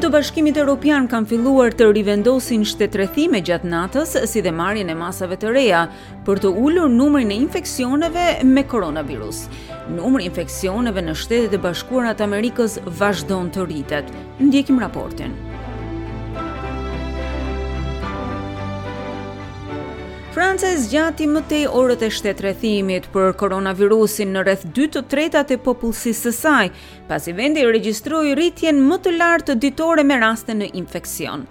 të Bashkimit Europian kanë filluar të rivendosin shtetrrethime gjatë natës, si dhe marrjen e masave të reja për të ulur numrin e infeksioneve me koronavirus. Numri i infeksioneve në Shtetet e Bashkuara të Amerikës vazhdon të rritet. Ndjekim raportin. Franca e zgjati më tej orët e shtetrrethimit për koronavirusin në rreth 2 të tretat e popullsisë së saj, pasi vendi regjistroi rritjen më të lartë ditore me raste në infeksion.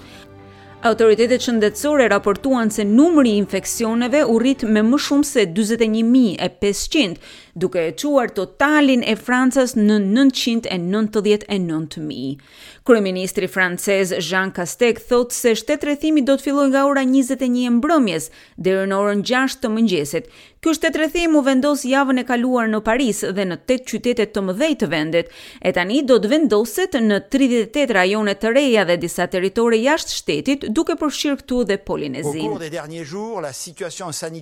Autoritetet shëndetësore raportuan se numri i infeksioneve u rrit me më shumë se 41.500, duke e çuar totalin e Francës në 999.000. Kryeministri francez Jean Castex thotë se shtetrrethimi do të fillojë nga ora 21 e mbrëmjes deri në orën 6 të mëngjesit. Ky shtetrrethim u vendos javën e kaluar në Paris dhe në 8 qytete të mëdhenj të vendit, e tani do të vendoset në 38 rajone të reja dhe disa territore jashtë shtetit, duke përfshirë këtu dhe Polinezinë.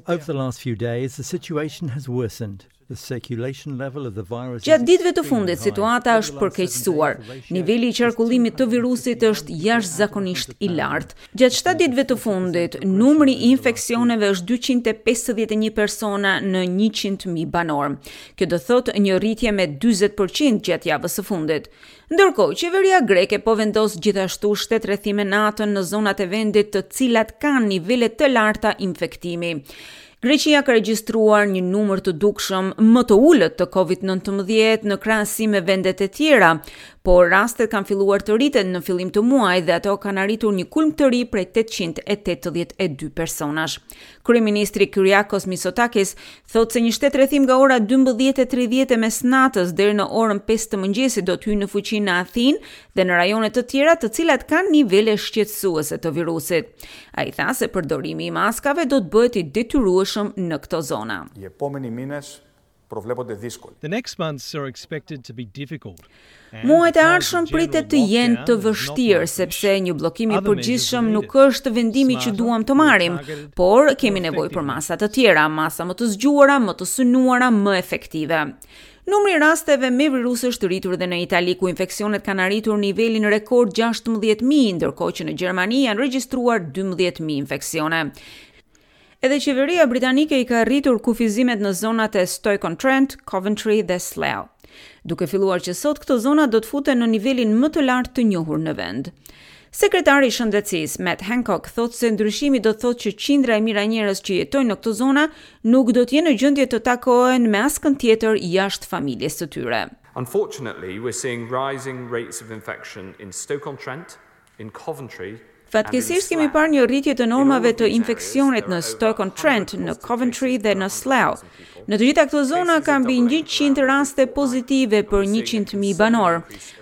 Over the last few days, the situation has worsened. Gjatë ditëve të fundit, situata është përkeqësuar. Niveli i qarkullimit të virusit është jashtëzakonisht i lartë. Gjatë 7 ditëve të fundit, numri i infeksioneve është 251 persona në 100.000 banorë. Kjo do thotë një rritje me 40% gjatë javës së fundit. Ndërkohë, qeveria greke po vendos gjithashtu shtetrrethime natën në zonat e vendit të cilat kanë nivele të larta infektimi. Greqia ka regjistruar një numër të dukshëm më të ulët të COVID-19 në krahasim me vendet e tjera, por rastet kanë filluar të rriten në fillim të muajit dhe ato kanë arritur një kulm të ri prej 882 personash. Kryeministri Kyriakos Mitsotakis thotë se një shtetrrethim nga ora 12:30 e mesnatës deri në orën 5 të mëngjesit do të hyjë në fuqi në Athinë dhe në rajone të tjera të cilat kanë nivele shqetësuese të virusit. Ai tha se përdorimi i maskave do të bëhet i detyrueshëm në këto zona. Οι επόμενοι μήνες προβλέπονται δύσκολοι. The next months are expected to be difficult. Muajt e ardhshëm pritet të jenë të vështirë sepse një bllokim i përgjithshëm nuk është vendimi që duam të marrim, por kemi nevojë për masa të tjera, masa më të zgjuara, më të synuara, më efektive. Numri i rasteve me virus është rritur edhe në Itali, ku infeksionet kanë arritur nivelin rekord 16.000, ndërkohë që në Gjermani janë regjistruar 12.000 infeksione. Edhe qeveria britanike i ka rritur kufizimet në zonat e Stoke-on-Trent, Coventry dhe Slough. Duke filluar që sot këto zona do të futen në nivelin më të lartë të njohur në vend. Sekretari i Shëndetësisë, Matt Hancock, thotë se ndryshimi do të thotë që qindra e mijëra njerëz që jetojnë në këto zona nuk do të jenë në gjendje të takohen me askënd tjetër jashtë familjes së tyre. Unfortunately, we're seeing rising rates of infection in Stoke-on-Trent, in Coventry Fatkeqësisht kemi parë një rritje të normave të infeksionit në Stoke-on-Trent, në Coventry dhe në Slough. Në të gjitha këto zona ka mbi 100 raste pozitive për 100.000 banorë.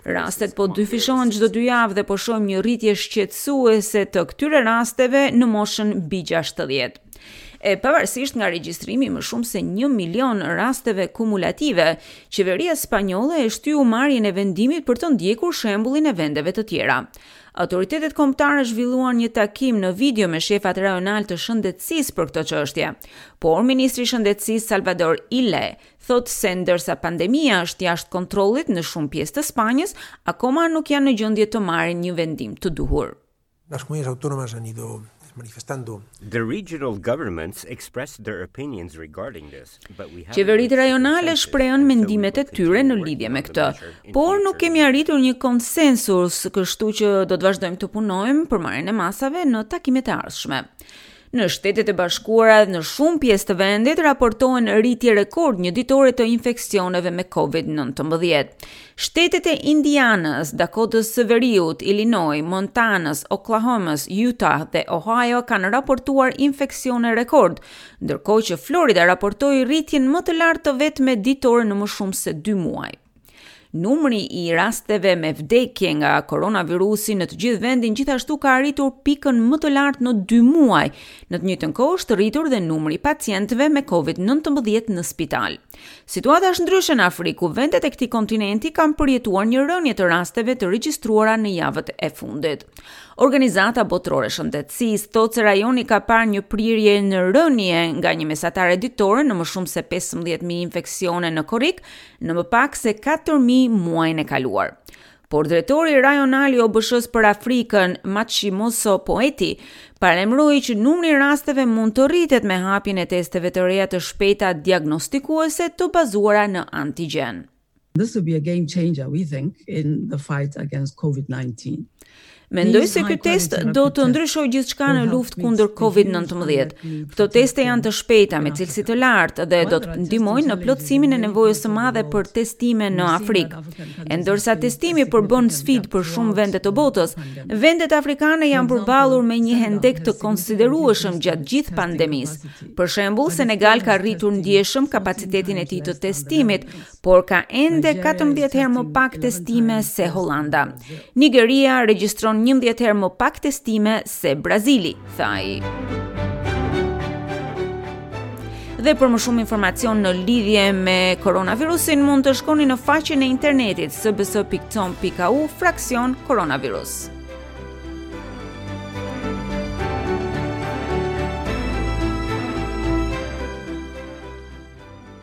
Rastet po dyfishohen çdo dy javë dhe po shohim një rritje shqetësuese të këtyre rasteve në moshën mbi 60. E pavarësisht nga regjistrimi më shumë se 1 milion rasteve kumulative, qeveria spanjolle e shtyu marrjen e vendimit për të ndjekur shembullin e vendeve të tjera. Autoritetet kombëtare zhvilluan një takim në video me shefat rajonal të shëndetësisë për këtë çështje. Por ministri i Shëndetësisë Salvador Illa thotë se ndërsa pandemia është jashtë kontrollit në shumë pjesë të Spanjës, akoma nuk janë në gjendje të marrin një vendim të duhur. Las comunidades autónomas han ido manifestando. The regional governments expressed their opinions regarding this, but we haven't Qeveritë rajonale shprehën mendimet e tyre në lidhje me këtë, por nuk kemi arritur një konsensus, kështu që do të vazhdojmë të punojmë për marrjen e masave në takimet e ardhshme. Në Shtetet e Bashkuara dhe në shumë pjesë të vendit raportohen rritje rekord një ditore të infeksioneve me COVID-19. Shtetet e Indianës, Dakotës së Veriut, Illinois, Montanës, Oklahomës, Utah dhe Ohio kanë raportuar infeksione rekord, ndërkohë që Florida raportoi rritjen më të lartë të vetme ditore në më shumë se 2 muaj. Numri i rasteve me vdekje nga koronavirusi në të gjithë vendin gjithashtu ka arritur pikën më të lartë në 2 muaj. Në të njëjtën kohë është rritur dhe numri i pacientëve me COVID-19 në spital. Situata është ndryshe në Afrikë, ku vendet e këtij kontinenti kanë përjetuar një rënie të rasteve të regjistruara në javët e fundit. Organizata Botërore e Shëndetësisë thotë se rajoni ka parë një prirje në rënie nga një mesatare ditore në më shumë se 15.000 infeksione në korrik, në më pak se 4.000 muajin e kaluar. Por drejtori rajonal i OBSH-së për Afrikën, Matshidiso Moeti, paralajmëroi që numri i rasteve mund të rritet me hapjen e testeve të reja të shpejta diagnostikuese të bazuara në antigjen. This will be a game changer, we think, in the fight against COVID-19. Mendoj se ky test do të ndryshojë gjithçka në luftë kundër COVID-19. Këto teste janë të shpejta me cilësi të lartë dhe do të ndihmojnë në plotësimin e nevojës së madhe për testime në Afrikë. E ndërsa testimi përbën sfidë për shumë vende të botës, vendet afrikane janë përballur me një hendek të konsiderueshëm gjatë gjithë pandemisë. Për shembull, Senegal ka rritur ndjeshëm kapacitetin e tij të testimit, por ka ende 14 herë më pak testime se Holanda. Nigeria regjistron 11 herë më pak testime se Brazili, tha ai. Dhe për më shumë informacion në lidhje me koronavirusin mund të shkoni në faqen e internetit sbs.com.au fraksion koronavirus.